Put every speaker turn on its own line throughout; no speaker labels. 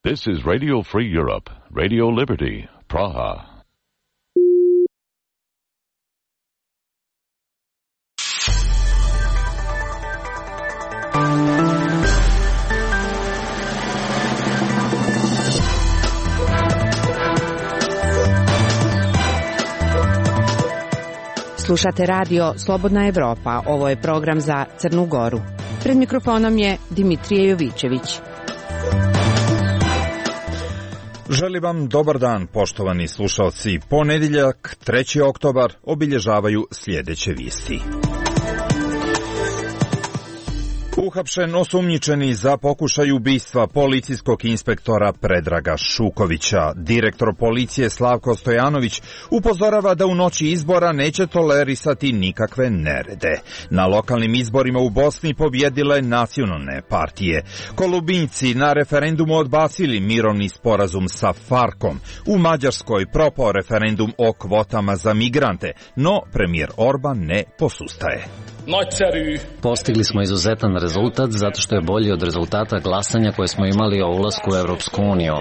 This is Radio Free Europe, Radio Liberty, Praha.
Slušate radio Slobodna Evropa. Ovo je program za Crnu Goru. Pred mikrofonom je Dimitrije Jovićević.
Želim vam dobar dan, poštovani slušalci. Ponedjeljak, 3. oktobar, obilježavaju sljedeće vijesti. Uhapšen osumnjičeni za pokušaj ubistva policijskog inspektora Predraga Šukovića. Direktor policije Slavko Stojanović upozorava da u noći izbora neće tolerisati nikakve nerede. Na lokalnim izborima u Bosni pobjedile nacionalne partije. Kolumbijci na referendumu odbacili mirovni sporazum sa Farkom. U Mađarskoj propao referendum o kvotama za migrante, no premijer Orban ne posustaje.
Postigli smo izuzetan rezultat zato što je bolji od rezultata glasanja koje smo imali o ulasku u Evropsku uniju.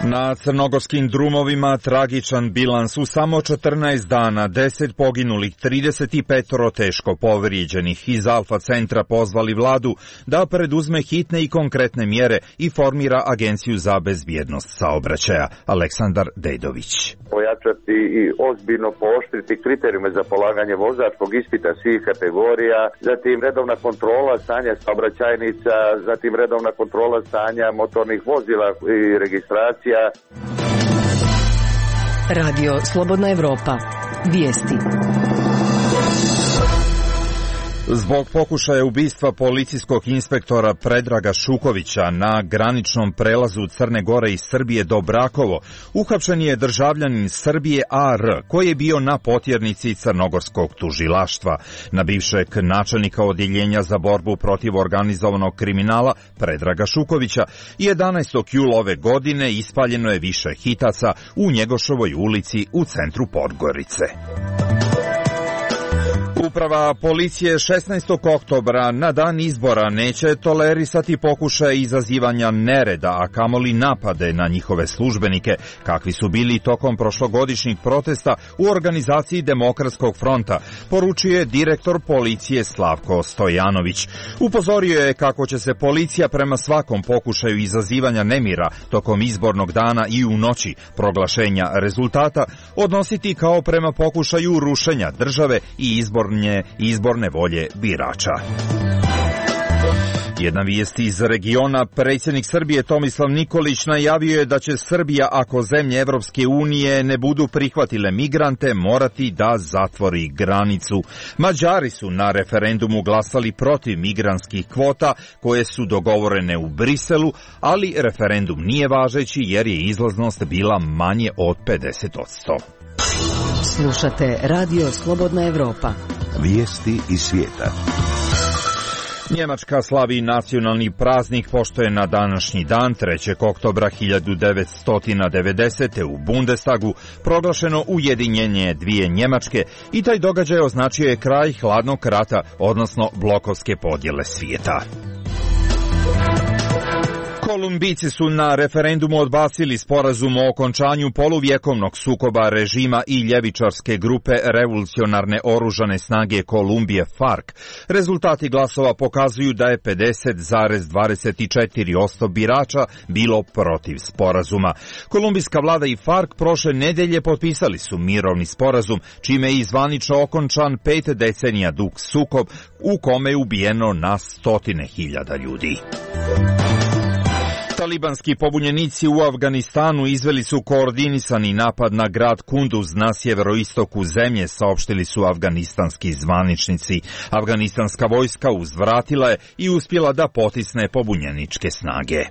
Na crnogorskim drumovima tragičan bilans u samo 14 dana, 10 poginulih, 35 teško povrijeđenih. Iz Alfa centra pozvali vladu da preduzme hitne i konkretne mjere i formira Agenciju za bezbjednost saobraćaja. Aleksandar Dedović.
Pojačati i ozbiljno pooštriti kriterijume za polaganje vozačkog ispita svih kategorija, zatim redovna kontrola stanja saobraćajnica, zatim redovna kontrola stanja motornih vozila i registracija.
Radio Slobodna Evropa. Vijesti.
Zbog pokušaja ubistva policijskog inspektora Predraga Šukovića na graničnom prelazu Crne Gore i Srbije do Brakovo, uhapšen je državljanin Srbije AR, koji je bio na potjernici crnogorskog tužilaštva. Na bivšeg načelnika odjeljenja za borbu protiv organizovanog kriminala Predraga Šukovića 11. jula ove godine ispaljeno je više hitaca u Njegoševoj ulici u centru Podgorice. Uprava policije 16. oktobra na dan izbora neće tolerisati pokušaje izazivanja nereda, a kamoli napade na njihove službenike, kakvi su bili tokom prošlogodišnjih protesta u organizaciji Demokratskog fronta, poručio je direktor policije Slavko Stojanović. Upozorio je kako će se policija prema svakom pokušaju izazivanja nemira tokom izbornog dana i u noći proglašenja rezultata odnositi kao prema pokušaju rušenja države i izborne volje birača. Jedna vijest iz regiona, predsjednik Srbije Tomislav Nikolić najavio je da će Srbija, ako zemlje Evropske unije ne budu prihvatile migrante, morati da zatvori granicu. Mađari su na referendumu glasali protiv migrantskih kvota koje su dogovorene u Briselu, ali referendum nije važeći jer je izlaznost bila manje od 50%.
Slušate Radio Slobodna Evropa.
Vijesti iz svijeta.
Njemačka slavi nacionalni praznik pošto je na današnji dan 3. oktobra 1990. u Bundestagu proglašeno ujedinjenje dvije Njemačke i taj događaj označio je kraj hladnog rata, odnosno blokovske podjele svijeta. Kolumbijci su na referendumu odbacili sporazum o okončanju poluvjekovnog sukoba režima i ljevičarske grupe revolucionarne oružane snage Kolumbije FARC. Rezultati glasova pokazuju da je 50,24% birača bilo protiv sporazuma. Kolumbijska vlada i FARC prošle nedelje potpisali su mirovni sporazum, čime je zvanično okončan 5 decenija dug sukob u kome je ubijeno na 100.000 ljudi. Talibanski pobunjenici u Afganistanu izveli su koordinisani napad na grad Kunduz na sjeveroistoku zemlje, saopštili su afganistanski zvaničnici. Afganistanska vojska uzvratila je i uspjela da potisne pobunjeničke snage.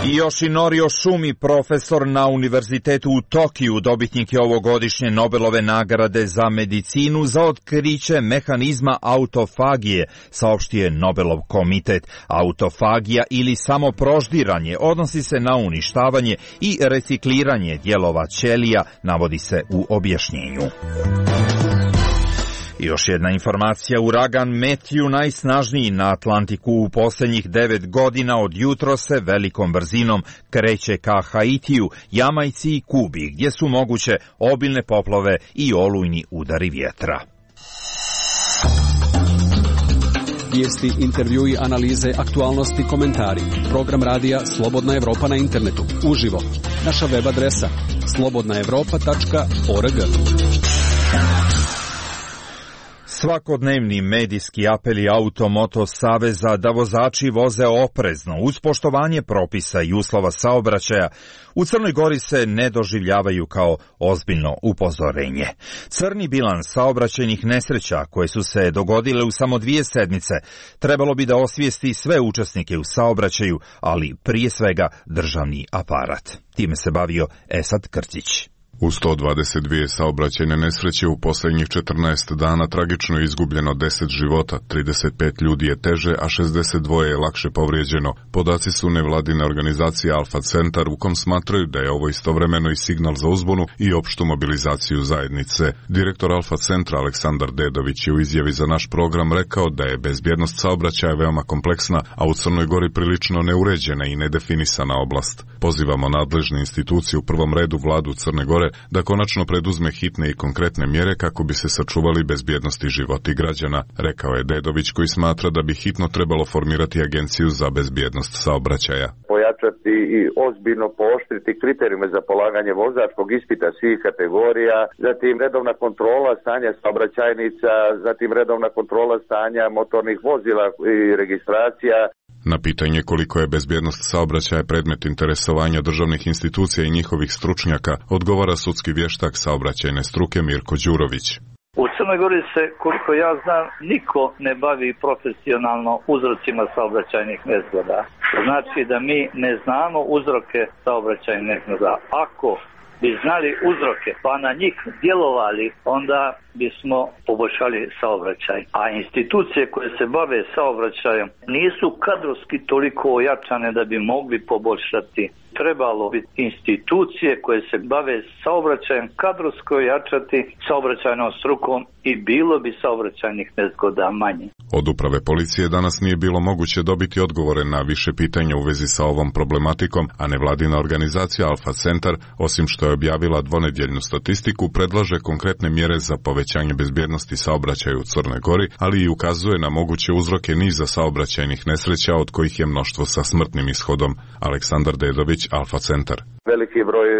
Yoshinori Oshumi, profesor na univerzitetu u Tokiju, dobitnik je ovogodišnje Nobelove nagrade za medicinu za otkriće mehanizma autofagije, saopštio je Nobelov komitet. Autofagija ili samoproždiranje odnosi se na uništavanje i recikliranje dijelova ćelija, navodi se u objašnjenju. I još jedna informacija, uragan Matthew, najsnažniji na Atlantiku u posljednjih 9 godina, od jutro se velikom brzinom kreće ka Haitiju, Jamajci i Kubi, gdje su moguće obilne poplave i olujni udari vjetra.
Vijesti, intervjui, analize, aktualnosti, komentari. Program radija Slobodna Evropa na internetu. Uživo. Naša web adresa slobodnaevropa.org.
Svakodnevni medijski apeli Automoto Saveza da vozači voze oprezno uz poštovanje propisa i uslova saobraćaja u Crnoj Gori se ne doživljavaju kao ozbiljno upozorenje. Crni bilans saobraćajnih nesreća koje su se dogodile u samo 2 sedmice trebalo bi da osvijesti sve učesnike u saobraćaju, ali prije svega državni aparat. Time se bavio Esad Krcić.
U 122 saobraćajne nesreće u posljednjih 14 dana tragično je izgubljeno 10 života, 35 ljudi je teže, a 62 je lakše povrijeđeno. Podaci su nevladine organizacije Alfa Centar, u kom smatraju da je ovo istovremeno i signal za uzbunu i opštu mobilizaciju zajednice. Direktor Alfa Centra Aleksandar Dedović je u izjavi za naš program rekao da je bezbjednost saobraćaja veoma kompleksna, a u Crnoj Gori prilično neuređena i nedefinisana oblast. Pozivamo nadležne institucije, u prvom redu vladu Crne Gore, da konačno preduzme hitne i konkretne mjere kako bi se sačuvali bezbjednosti životi građana, rekao je Dedović, koji smatra da bi hitno trebalo formirati agenciju za bezbjednost saobraćaja.
Pojačati i ozbiljno pooštriti kriterijume za polaganje vozačkog ispita svih kategorija, zatim redovna kontrola stanja saobraćajnica, zatim redovna kontrola stanja motornih vozila i registracija.
Na pitanje koliko je bezbjednost saobraćaja predmet interesovanja državnih institucija i njihovih stručnjaka, odgovara sudski vještak saobraćajne struke Mirko Đurović.
U Crnoj Gori se, koliko ja znam, niko ne bavi profesionalno uzrocima saobraćajnih nezgoda. Znači da mi ne znamo uzroke saobraćajnih nezgoda. Ako bi znali uzroke pa na njih djelovali, onda bismo poboljšali saobraćaj. A institucije koje se bave saobraćajem nisu kadrovski toliko ojačane da bi mogli poboljšati. Trebalo bi institucije koje se bave saobraćajem kadrovsko ojačati saobraćajnom strukom i bilo bi saobraćajnih nezgoda manje.
Od uprave policije danas nije bilo moguće dobiti odgovore na više pitanja u vezi sa ovom problematikom, a nevladina organizacija Alfa Centar, osim što je objavila dvonedjeljnu statistiku, predlaže konkretne mjere za povećanje bezbjednosti saobraćaja u Crnoj Gori, ali i ukazuje na moguće uzroke niza saobraćajnih nesreća, od kojih je mnoštvo sa smrtnim ishodom. Aleksandar Dedović, Alfa Centar.
Veliki broj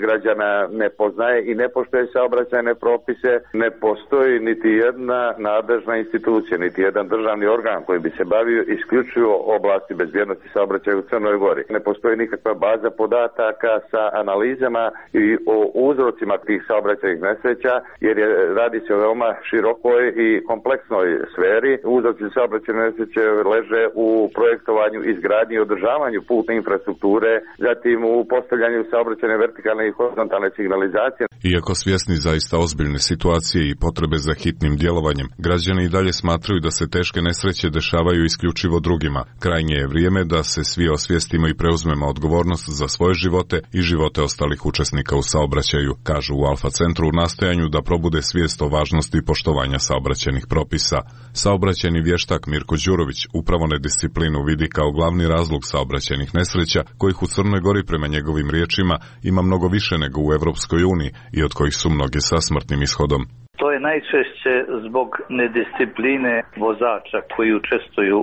građana ne poznaje i ne poštuje saobraćajne propise. Ne postoji niti jedna nadležna institucija, niti jedan državni organ koji bi se bavio isključivo oblasti bezbjednosti saobraćaja u Crnoj Gori. Ne postoji nikakva baza podataka sa analizama i o uzrocima tih saobraćajnih nesreća, jer radi se o veoma širokoj i kompleksnoj sferi. Uzroci saobraćajne nesreće leže u projektovanju, izgradnji i održavanju putne infrastrukture, zatim u postavljanju saobraćajne vertikalne i horizontalne signalizacije.
Iako svjesni zaista ozbiljne situacije i potrebe za hitnim djelovanjem, građani i dalje smatraju da se teške nesreće dešavaju isključivo drugima. Krajnje je vrijeme da se svi osvijestimo i preuzmemo odgovornost za svoje živote i živote ostalih učesnika u saobraćaju, kažu u Alfa Centru u nastojanju da probude svijest o važnosti poštovanja saobraćajnih propisa. Saobraćajni vještak Mirko Đurović upravo nedisciplinu vidi kao glavni razlog saobraćajnih nesreća, kojih u Crnoj Gori prema njegovim riječima ima mnogo više nego u Evropskoj uniji i od kojih su mnoge sa smrtnim ishodom.
To je najčešće zbog nediscipline vozača koji učestvuju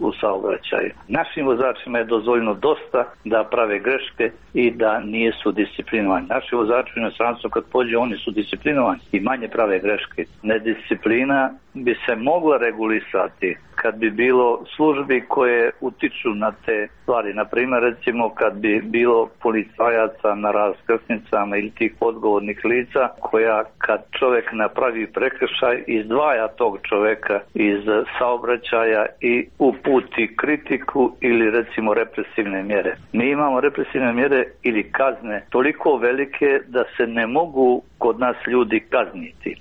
u saobraćaju. Našim vozačima je dozvoljeno dosta da prave greške i da nisu disciplinovani. Naši vozači u inostranstvu kad pođe, oni su disciplinovani i manje prave greške. Nedisciplina bi se mogla regulisati kad bi bilo službi koje utiču na te stvari. Na primjer, recimo kad bi bilo policajaca na raskrsnicama ili tih odgovornih lica koja kad čovjek napravi prekršaj izdvaja tog čovjeka iz saobraćaja i uputi kritiku ili recimo represivne mjere. Mi imamo represivne mjere ili kazne toliko velike da se ne mogu kod nas ljudi kazniti.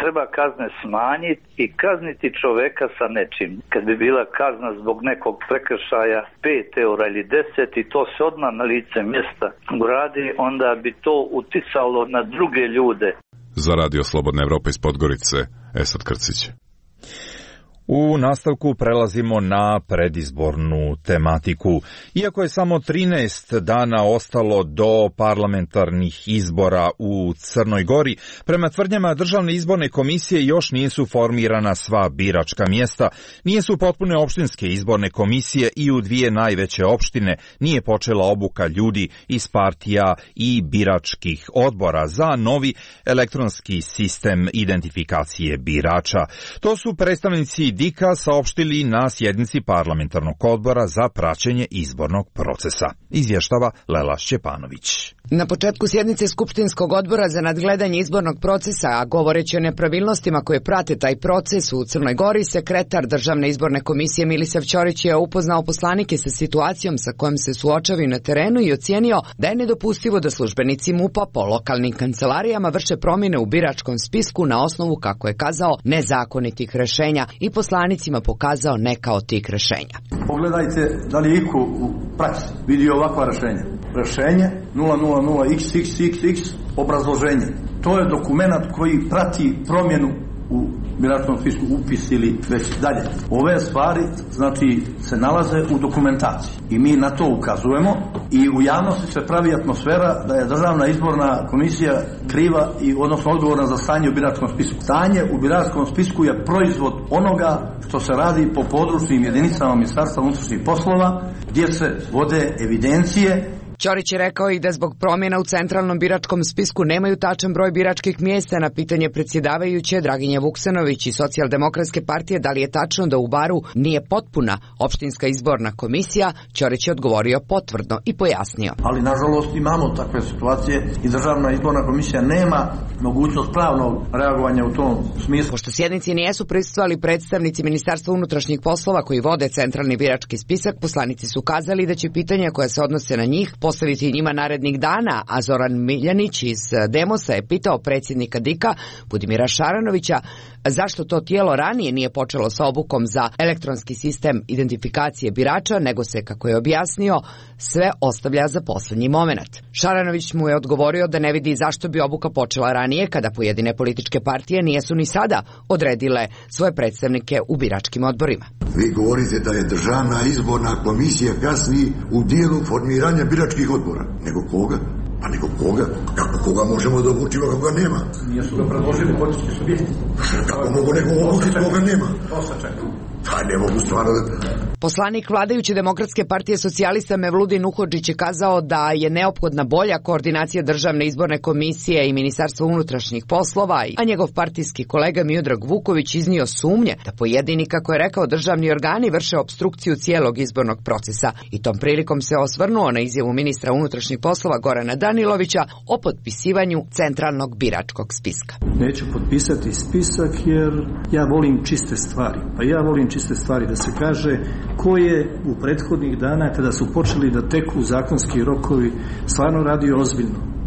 Treba kazne smanjiti i kazniti čoveka sa nečim. Kad bi bila kazna zbog nekog prekršaja 5 eura ili 10 i to se odmah na lice mjesta uradi, onda bi to uticalo na druge ljude.
Za Radio Slobodna Evropa iz Podgorice, Esad Krcić.
U nastavku prelazimo na predizbornu tematiku. Iako je samo 13 dana ostalo do parlamentarnih izbora u Crnoj Gori, prema tvrdnjama Državne izborne komisije još nisu formirana sva biračka mjesta, nisu potpune opštinske izborne komisije i u dvije najveće opštine nije počela obuka ljudi iz partija i biračkih odbora za novi elektronski sistem identifikacije birača. To su predstavnici DIK-a saopštili na sjednici parlamentarnog odbora za praćenje izbornog procesa. Izvještava Lela Šćepanović.
Na početku sjednice Skupštinskog odbora za nadgledanje izbornog procesa, a govoreći o nepravilnostima koje prate taj proces u Crnoj Gori, sekretar Državne izborne komisije Milisav Ćorić je upoznao poslanike sa situacijom sa kojom se suočavaju na terenu i ocijenio da je nedopustivo da službenici MUP-a po lokalnim kancelarijama vrše promjene u biračkom spisku na osnovu, kako je kazao, nezakonitih rešenja i poslanicima pokazao neka od tih rešenja.
Pogledajte da li iko u praksi vidi ovakva rešenja. Rešenje 000XXXX obrazloženje. To je dokument koji prati promjenu u biračkom spisku, upis ili već dalje. Ove stvari, znači, se nalaze u dokumentaciji i mi na to ukazujemo i u javnosti se pravi atmosfera da je Državna izborna komisija kriva i odnosno odgovorna za stanje u biračkom spisku. Stanje u biračkom spisku je proizvod onoga što se radi po područnim jedinicama Ministarstva unutrašnjih poslova gdje se vode evidencije.
Ćorić je rekao i da zbog promjena u centralnom biračkom spisku nemaju tačan broj biračkih mjesta. Na pitanje predsjedavajuće Draginje Vuksanović i Socijaldemokratske partije da li je tačno da u Baru nije potpuna opštinska izborna komisija, Ćorić je odgovorio potvrdno i pojasnio.
Ali nažalost imamo takve situacije i Državna izborna komisija nema mogućnost pravnog reagovanja u tom smislu.
Pošto sjednici nijesu prisustvovali predstavnici Ministarstva unutrašnjih poslova koji vode centralni birački spisak, poslanici su kazali da će pitanja koja se odnose na njih postaviti njima narednih dana, a Zoran Miljanić iz Demosa je pitao predsjednika DIK-a Budimira Šaranovića zašto to tijelo ranije nije počelo sa obukom za elektronski sistem identifikacije birača, nego se, kako je objasnio, sve ostavlja za posljednji moment. Šaranović mu je odgovorio da ne vidi zašto bi obuka počela ranije, kada pojedine političke partije nijesu ni sada odredile svoje predstavnike u biračkim odborima.
Vi govorite da je Državna izborna komisija kasni u dijelu formiranja biračkih odbora. Nego koga? Pa nego koga? Kako koga možemo da obučimo kako ga nema?
Nijesu ga predložili politički subjekti.
Kako mogu nego obučiti koga nema?
To se čeka.
Pa ne mogu stvarno
Poslanik vladajuće Demokratske partije socijalista Mevludin Uhodžić je kazao da je neophodna bolja koordinacija Državne izborne komisije i Ministarstva unutrašnjih poslova, a njegov partijski kolega Miodrag Vuković iznio sumnje da pojedini, kako je rekao, državni organi vrše opstrukciju cijelog izbornog procesa i tom prilikom se osvrnuo na izjavu ministra unutrašnjih poslova Gorana Danilovića o potpisivanju centralnog biračkog spiska.
Neću potpisati spisak jer ja volim čiste stvari. Pa ja volim čiste stvari, da se kaže ko je u prethodnih dana kada su počeli da teku zakonski rokovi stvarno radio ozbiljno.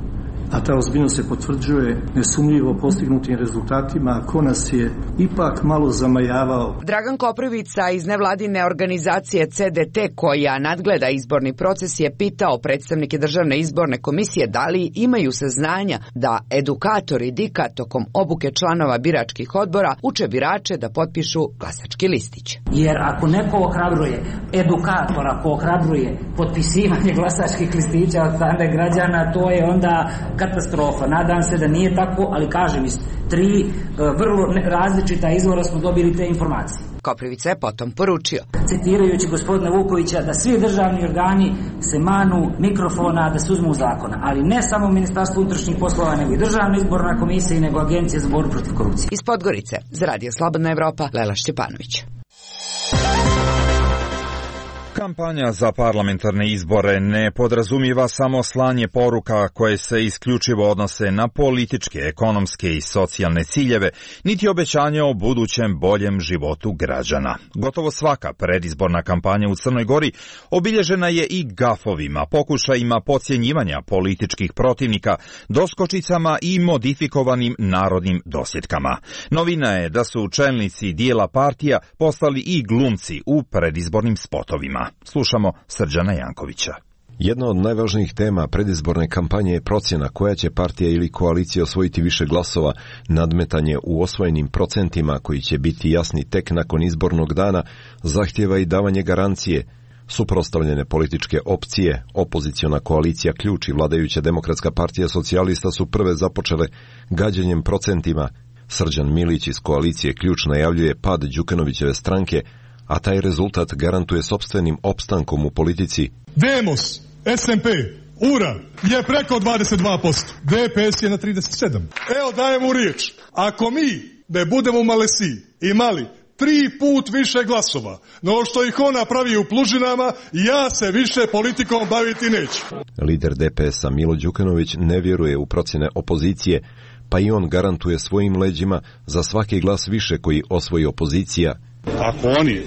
A ta ozbiljnost se potvrđuje nesumnjivo postignutim rezultatima, ko nas je ipak malo zamajavao.
Dragan Koprivica iz nevladine organizacije CDT, koja nadgleda izborni proces, je pitao predstavnike Državne izborne komisije da li imaju saznanja da edukatori DIK-a tokom obuke članova biračkih odbora uče birače da potpišu glasački listić.
Jer ako neko ohrabruje, edukator ako ohrabruje potpisivanje glasačkih listića od strane građana, to je onda katastrofa. Nadam se da nije tako, ali kažem, iz 3 vrlo različita izvora smo dobili te informacije.
Koprivica je potom poručio,
citirajući gospodina Vukovića, da svi državni organi se manu mikrofona, da se uzmu zakona, ali ne samo Ministarstvo unutrašnjih poslova, nego i Državna izborna komisija i nego Agencija za borbu protiv korupcije.
Iz Podgorice, za Radio Slobodna Evropa, Lela Šćepanović.
Kampanja za parlamentarne izbore ne podrazumijeva samo slanje poruka koje se isključivo odnose na političke, ekonomske i socijalne ciljeve, niti obećanja o budućem boljem životu građana. Gotovo svaka predizborna kampanja u Crnoj Gori obilježena je i gafovima, pokušajima podcjenjivanja političkih protivnika, doskočicama i modifikovanim narodnim dosjetkama. Novina je da su čelnici dijela partija postali i glumci u predizbornim spotovima. Slušamo Srđana Jankovića.
Jedna od najvažnijih tema predizborne kampanje je procjena koja će partija ili koalicija osvojiti više glasova. Nadmetanje u osvojenim procentima, koji će biti jasni tek nakon izbornog dana, zahtjeva i davanje garancije. Suprotstavljene političke opcije, opoziciona koalicija Ključ i vladajuća Demokratska partija socijalista su prve započele gađanjem procentima. Srđan Milić iz koalicije Ključ najavljuje pad Đukanovićeve stranke, a taj rezultat garantuje sopstvenim opstankom u politici.
Demos, SMP, URA je preko 22%, DPS je na 37%. Evo dajem mu riječ, ako mi ne budemo u Malesiji imali 3 put više glasova, no što ih ona pravi u Plužinama, ja se više politikom baviti neću.
Lider DPS-a Milo Đukanović ne vjeruje u procjene opozicije, pa i on garantuje svojim leđima za svaki glas više koji osvoji opozicija.
Ako oni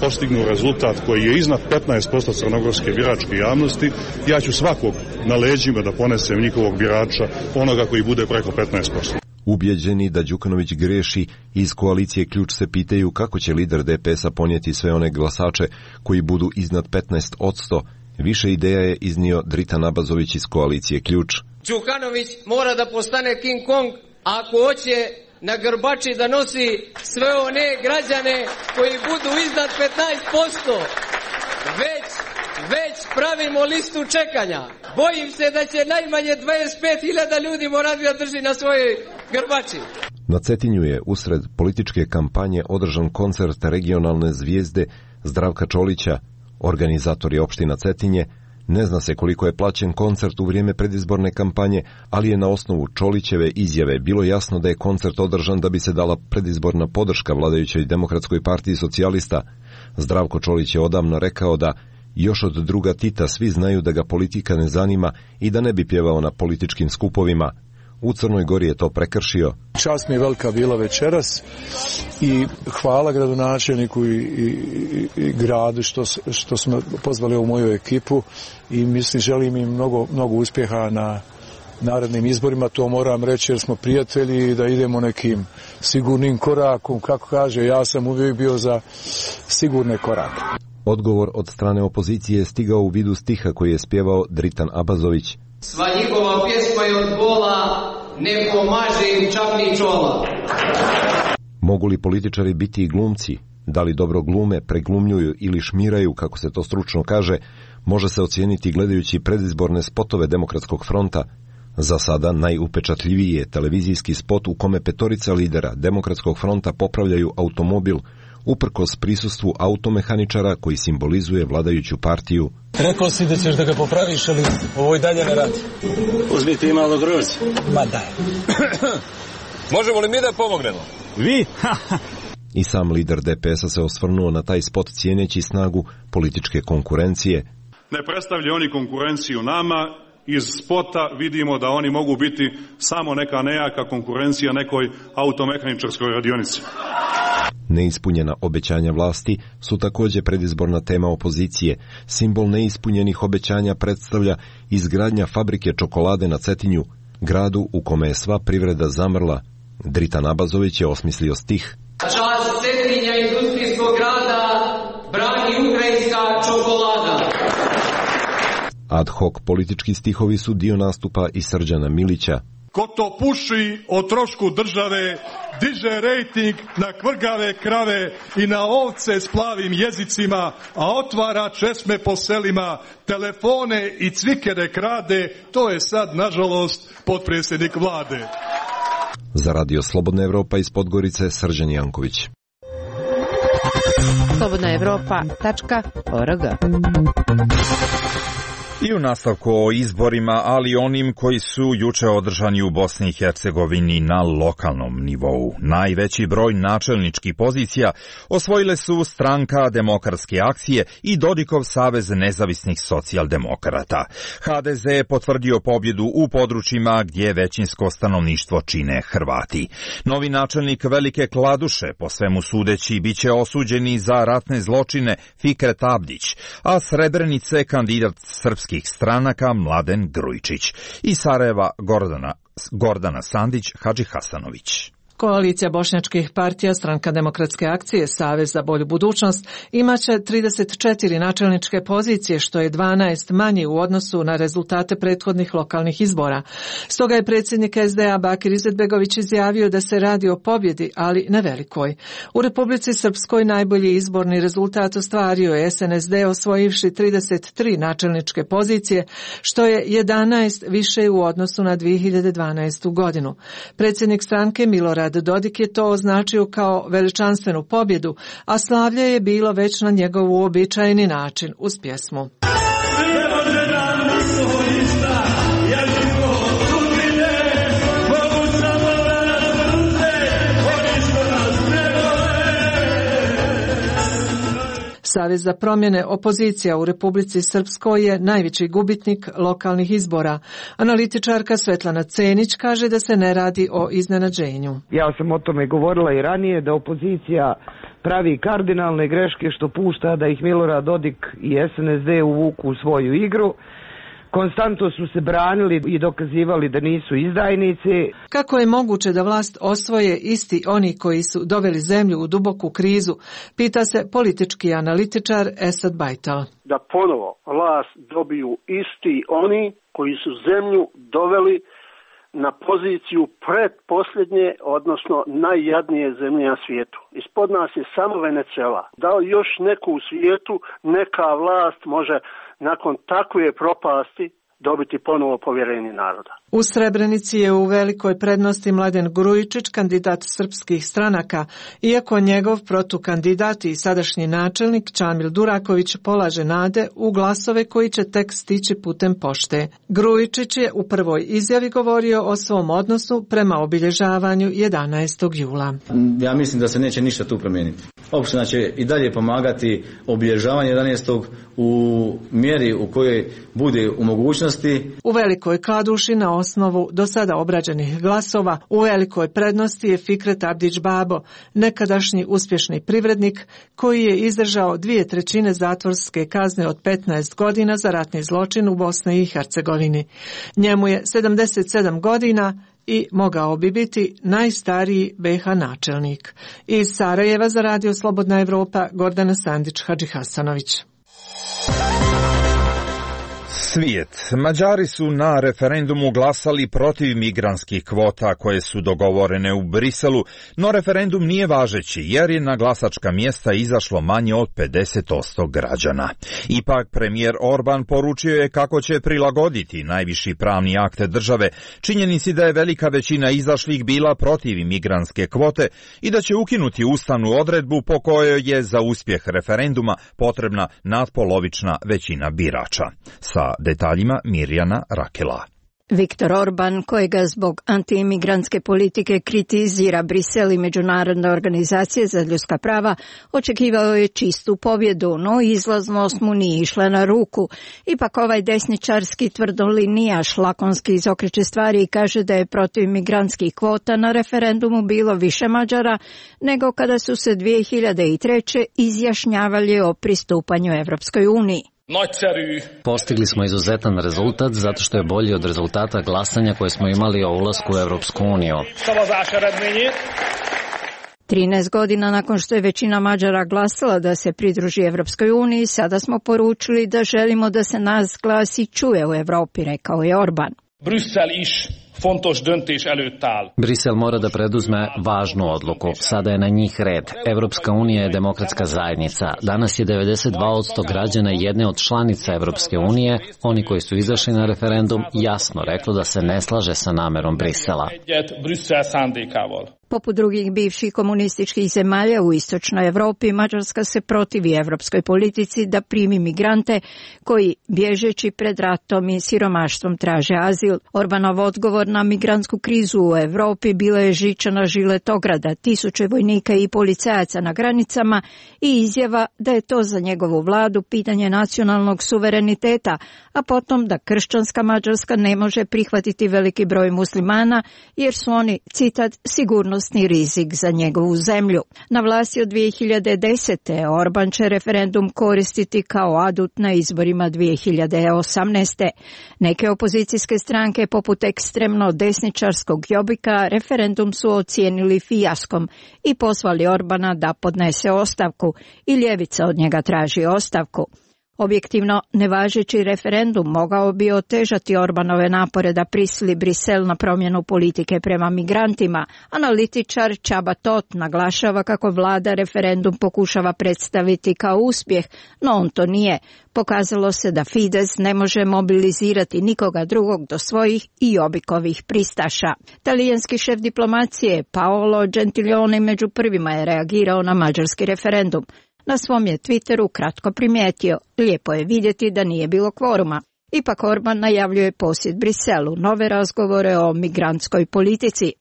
postignu rezultat koji je iznad 15% crnogorske biračke javnosti, ja ću svakog na leđima da ponesem njihovog birača, onoga koji bude preko 15%.
Ubjeđeni da Đukanović greši, iz koalicije Ključ se pitaju kako će lider DPS-a ponijeti sve one glasače koji budu iznad 15%. Više ideja je iznio Dritan Abazović iz koalicije Ključ.
Đukanović mora da postane King Kong ako hoće na grbači da nosi sve one građane koji budu iznad 15%. Već pravimo listu čekanja. Bojim se da će najmanje 25.000 ljudi morati da drži na svojoj grbači.
Na Cetinju je usred političke kampanje održan koncert regionalne zvijezde Zdravka Čolića. Organizator je opština Cetinje. Ne zna se koliko je plaćen koncert u vrijeme predizborne kampanje, ali je na osnovu Čolićeve izjave bilo jasno da je koncert održan da bi se dala predizborna podrška vladajućoj Demokratskoj partiji socijalista. Zdravko Čolić je odavno rekao da još od druga Tita svi znaju da ga politika ne zanima i da ne bi pjevao na političkim skupovima. U Crnoj Gori je to prekršio.
Čast mi je velika bila večeras i hvala gradonačelniku i gradu što smo pozvali u moju ekipu i mislim želim im mnogo uspjeha na narednim izborima. To moram reći jer smo prijatelji i da idemo nekim sigurnim korakom. Kako kaže, ja sam uvijek bio za sigurne korake.
Odgovor od strane opozicije je stigao u vidu stiha koji je spjevao Dritan Abazović.
Sva njihova pjesma je od bola, ne pomaže im čak ni čola.
Mogu li političari biti i glumci? Da li dobro glume, preglumljuju ili šmiraju, kako se to stručno kaže, može se ocijeniti gledajući predizborne spotove Demokratskog fronta. Za sada najupečatljiviji je televizijski spot u kome 5 lidera Demokratskog fronta popravljaju automobil, uprkos prisustvu automehaničara koji simbolizuje vladajuću partiju.
Rekao si da ćeš da ga popraviš, ali ovo i dalje ne radi.
Uzmite i malo grožđa.
Ma daj.
Možemo li mi da pomognemo?
Vi?
I sam lider DPS-a se osvrnuo na taj spot cijeneći snagu političke konkurencije.
Ne predstavljaju oni konkurenciju nama. Iz spota vidimo da oni mogu biti samo neka nejaka konkurencija nekoj automehaničarskoj radionici.
Neispunjena obećanja vlasti su također predizborna tema opozicije. Simbol neispunjenih obećanja predstavlja izgradnja fabrike čokolade na Cetinju, gradu u kome je sva privreda zamrla. Dritan Abazović je osmislio stih.
Čast Cetinja industrijskog grada brani ukrajinska čokolada.
Ad hoc politički stihovi su dio nastupa i Srđana Milića.
Ko to puši o trošku države, diže rejting na kvrgave krave i na ovce s plavim jezicima, a otvara česme po selima, telefone i cvikere krade, to je sad, nažalost, potpredsjednik vlade.
Za Radio Slobodna Evropa iz Podgorice, Srđan Janković.
slobodnaevropa.org.
I u nastavku o izborima, ali onim koji su juče održani u Bosni i Hercegovini na lokalnom nivou. Najveći broj načelničkih pozicija osvojile su Stranka demokratske akcije i Dodikov savez nezavisnih socijaldemokrata. HDZ je potvrdio pobjedu u područjima gdje većinsko stanovništvo čine Hrvati. Novi načelnik Velike Kladuše, po svemu sudeći, bit će osuđeni za ratne zločine Fikret Abdić, a Srebrenice kandidat srpskih stranaka Mladen Grujičić. Iz Sarajeva Gordana Sandić, Hadži Hasanović.
Koalicija bošnjačkih partija, Stranka demokratske akcije, Savez za bolju budućnost imaće 34 načelničke pozicije, što je 12 manje u odnosu na rezultate prethodnih lokalnih izbora. Stoga je predsjednik SDA Bakir Izetbegović izjavio da se radi o pobjedi, ali ne velikoj. U Republici Srpskoj najbolji izborni rezultat ostvario je SNSD osvojivši 33 načelničke pozicije, što je 11 više u odnosu na 2012. godinu. Predsjednik stranke Milorad Dodik je to označio kao veličanstvenu pobjedu, a slavlje je bilo već na njegov uobičajeni način uz pjesmu. Savez za promjene opozicija u Republici Srpskoj je najveći gubitnik lokalnih izbora. Analitičarka Svetlana Cenić kaže da se ne radi o iznenađenju.
Ja sam o tome govorila i ranije, da opozicija pravi kardinalne greške što pušta da ih Milorad Dodik i SNSD uvuku u svoju igru. Konstantno su se branili i dokazivali da nisu izdajnici.
Kako je moguće da vlast osvoje isti oni koji su doveli zemlju u duboku krizu, pita se politički analitičar Esad Bajtal.
Da ponovo vlast dobiju isti oni koji su zemlju doveli na poziciju predposljednje, odnosno najjadnije zemlje na svijetu. Ispod nas je samo Venezuela. Da li još neku u svijetu, neka vlast može nakon takve propasti dobiti ponovo povjerenje naroda.
U Srebrenici je u velikoj prednosti Mladen Grujičić, kandidat srpskih stranaka, iako njegov protukandidat i sadašnji načelnik Čamil Duraković polaže nade u glasove koji će tek stići putem pošte. Grujičić je u prvoj izjavi govorio o svom odnosu prema obilježavanju 11. jula.
Ja mislim da se neće ništa tu promijeniti. Opština će i dalje pomagati obilježavanje 11. u mjeri u kojoj bude u mogućnosti.
U Velikoj Kladuši na osnovu do sada obrađenih glasova u velikoj prednosti je Fikret Abdić Babo, nekadašnji uspješni privrednik koji je izdržao 2/3 zatvorske kazne od 15 godina za ratni zločin u Bosni i Hercegovini. Njemu je 77 godina i mogao bi biti najstariji BiH načelnik. Iz Sarajeva za Radio Slobodna Evropa, Gordana Sandić-Hadžihasanović.
Svijet. Mađari su na referendumu glasali protiv migrantskih kvota koje su dogovorene u Briselu, no referendum nije važeći jer je na glasačka mjesta izašlo manje od 50% građana. Ipak premijer Orban poručio je kako će prilagoditi najviši pravni akte države činjenici da je velika većina izašlih bila protiv migrantske kvote i da će ukinuti ustavnu odredbu po kojoj je za uspjeh referenduma potrebna nadpolovična većina birača. Sa detaljima Mirjana Rakela.
Viktor Orban, kojega zbog antiimigrantske politike kritizira Brisel i Međunarodne organizacije za ljudska prava, očekivao je čistu pobjedu, no izlaznost mu nije išla na ruku. Ipak ovaj desničarski tvrdolinijaš lakonski izokreće stvari i kaže da je protiv migrantskih kvota na referendumu bilo više Mađara nego kada su se 2003. izjašnjavali o pristupanju Evropskoj uniji.
Postigli smo izuzetan rezultat zato što je bolji od rezultata glasanja koje smo imali o ulasku u Evropsku uniju.
13 godina nakon što je većina Mađara glasala da se pridruži Evropskoj uniji, sada smo poručili da želimo da se nas glas i čuje u Evropi, rekao je Orban.
Brisel mora da preduzme važnu odluku. Sada je na njih red. Evropska unija je demokratska zajednica. Danas je 92% građana jedne od članica Evropske unije, oni koji su izašli na referendum, jasno reklo da se ne slaže sa namerom Brisela.
Poput drugih bivših komunističkih zemalja u istočnoj Evropi, Mađarska se protivi evropskoj politici da primi migrante koji, bježeći pred ratom i siromaštvom, traže azil. Orbanov odgovor na migrantsku krizu u Evropi bila je žiča na žilet ograda, tisuće vojnika i policajaca na granicama i izjava da je to za njegovu vladu pitanje nacionalnog suvereniteta, a potom da kršćanska Mađarska ne može prihvatiti veliki broj muslimana jer su oni, citat, sigurnosni sigurnosni rizik za njegovu zemlju. Na vlasti od 2010. Orban će referendum koristiti kao adut na izborima 2018. Neke opozicijske stranke poput ekstremno desničarskog Jobbika referendum su ocijenili fijaskom i pozvali Orbana da podnese ostavku i ljevica od njega traži ostavku. Objektivno, nevažeći referendum mogao bi otežati Orbanove napore da prisili Brisel na promjenu politike prema migrantima. Analitičar Csaba Tot naglašava kako vlada referendum pokušava predstaviti kao uspjeh, no on to nije. Pokazalo se da Fides ne može mobilizirati nikoga drugog do svojih i Jobbikovih pristaša. Talijanski šef diplomacije Paolo Gentiloni među prvima je reagirao na mađarski referendum. Na svom je Twitteru kratko primijetio, lijepo je vidjeti da nije bilo kvoruma. Ipak Orban najavljuje posjet Briselu, nove razgovore o migrantskoj politici.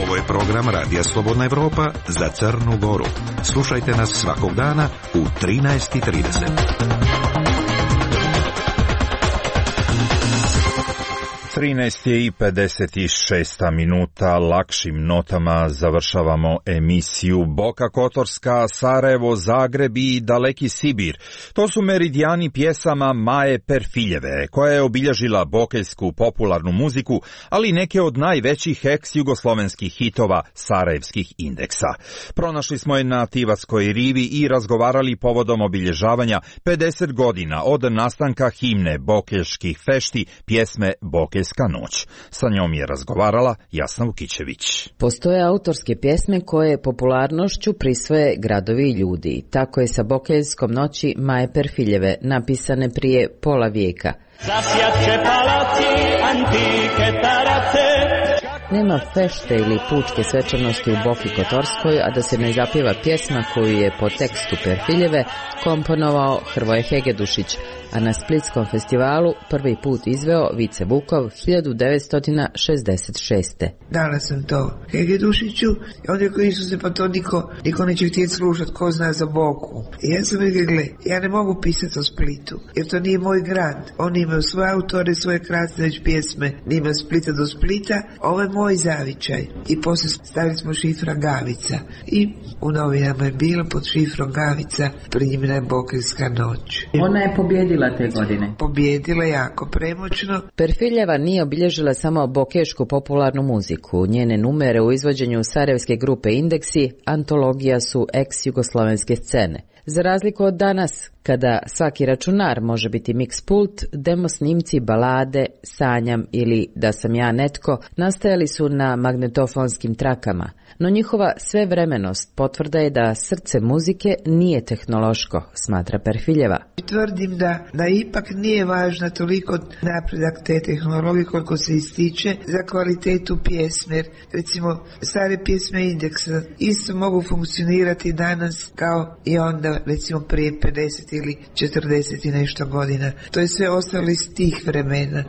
Ovo je program Radija Slobodna Evropa za Crnu Goru. Slušajte nas svakog dana u 13:30.
13:56 lakšim notama završavamo emisiju Boka Kotorska, Sarajevo, Zagreb i Daleki Sibir. To su meridijani pjesama Maje Perfiljeve, koja je obilježila bokeljsku popularnu muziku, ali neke od najvećih ex-jugoslovenskih hitova sarajevskih indeksa. Pronašli smo je na Tivatskoj rivi i razgovarali povodom obilježavanja 50 godina od nastanka himne bokeljskih fešti, pjesme Bokeljska noć. Sa njom je razgovarala Jasna Vukićević.
Postoje autorske pjesme koje popularnošću prisvoje gradovi i ljudi. Tako je sa Bokeljskom noći Maje Perfiljeve, napisane prije pola vijeka. Nema fešte ili pučke svečanosti u Boki Kotorskoj, a da se ne zapjeva pjesma koju je po tekstu Perfiljeve komponovao Hrvoje Hegedušić, a na Splitskom festivalu prvi put izveo Vice Vukov 1966.
Dala sam to Hegedušiću i onda koji su se, pa to niko neće htjeti slušati, ko zna za Boku. I ja sam rekla, gle, ja ne mogu pisati o Splitu, jer to nije moj grad. Oni imaju svoje autore, svoje krasne već pjesme, nima Splita do Splita, ovo je moj zavičaj. I poslije stavili smo šifra Gavica. I u novinama je bilo pod šifrom Gavica primljena je Bokeljska noć.
Ona je pobjedila te godine.
Pobjedila jako premoćno.
Perfiljeva nije obilježila samo bokešku popularnu muziku. Njene numere u izvođenju sarajevske grupe Indeksi antologija su ex-jugoslovenske scene. Za razliku od danas, kada svaki računar može biti mix pult, demo snimci balade, Sanjam ili Da sam ja netko nastajali su na magnetofonskim trakama, no njihova svevremenost potvrda je da srce muzike nije tehnološko, smatra Perfiljeva.
Tvrdim da ipak nije važna toliko napredak te tehnologije koliko se ističe za kvalitetu pjesme. Recimo, stare pjesme Indeksa isto mogu funkcionirati danas kao i onda, recimo prije 50 ili 40 i nešto godina. To je sve ostalo iz tih vremena.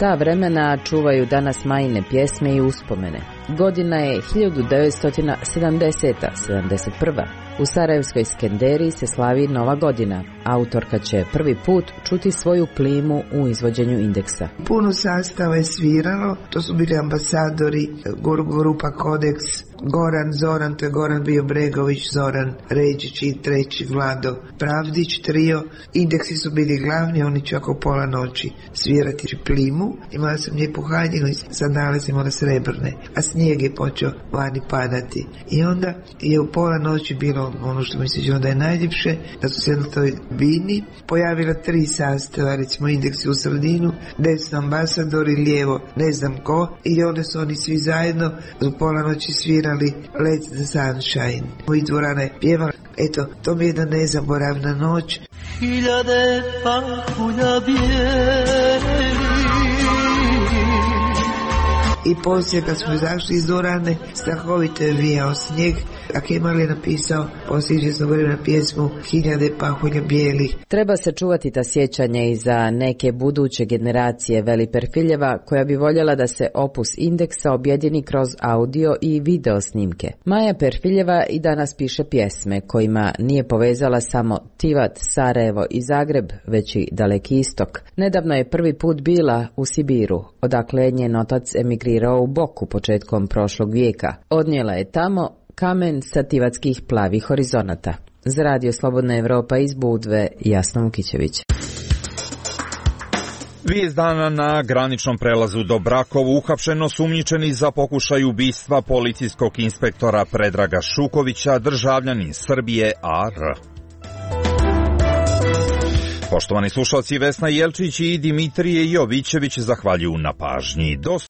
Ta vremena čuvaju danas Majine pjesme i uspomene. Godina je 1970-71. U Sarajevskoj Skenderiji se slavi Nova godina. Autorka će prvi put čuti svoju plimu u izvođenju Indeksa.
Puno sastava je sviralo, to su bili ambasadori, grupa Kodeks, Goran, Zoran, to je Goran bio Bregović, Zoran Ređić i treći Vlado Pravdić, trio. Indeksi su bili glavni, oni će oko pola noći svirati plimu. Imala sam lijepu haljinu i sandale sam imala srebrne, a snijeg je počeo vani padati. I onda je u pola noći bilo ono što mi se čini da je najljepše, da su se na toj bini pojavila 3 sastava, recimo Indeksi u sredinu, desno ambasador i lijevo ne znam ko, i onda su oni svi zajedno u pola noći svirali Let the Sunshine. I dvorana je pjevala. Eto, to mi je jedna nezaboravna noć.
Hiljade pahulja bijeli
I poslije kad smo izašli iz dvorane, strahovito je vijao snijeg, a Kemal je napisao poslije izvjesnog vremena pjesmu Hiljade pahulja bijelih.
Treba se čuvati ta sjećanja i za neke buduće generacije, veli Perfiljeva, koja bi voljela da se opus Indeksa objedini kroz audio i video snimke. Maja Perfiljeva i danas piše pjesme kojima nije povezala samo Tivat, Sarajevo i Zagreb, već i Daleki istok. Nedavno je prvi put bila u Sibiru, odakle je njen otac emigrirao u Boku početkom prošlog vijeka. Odnijela je tamo kamen sa tivatskih plavih horizonata. Za Radio Slobodna Evropa iz Budve, Jasna Vukićević.
Vijest dana: na graničnom prelazu do Brakovu uhapšen osumnjičeni za pokušaj ubistva policijskog inspektora Predraga Šukovića, državljanin Srbije AR. Poštovani slušalci, Vesna Jelčić i Dimitrije Jovićević zahvaljuju na pažnji. Do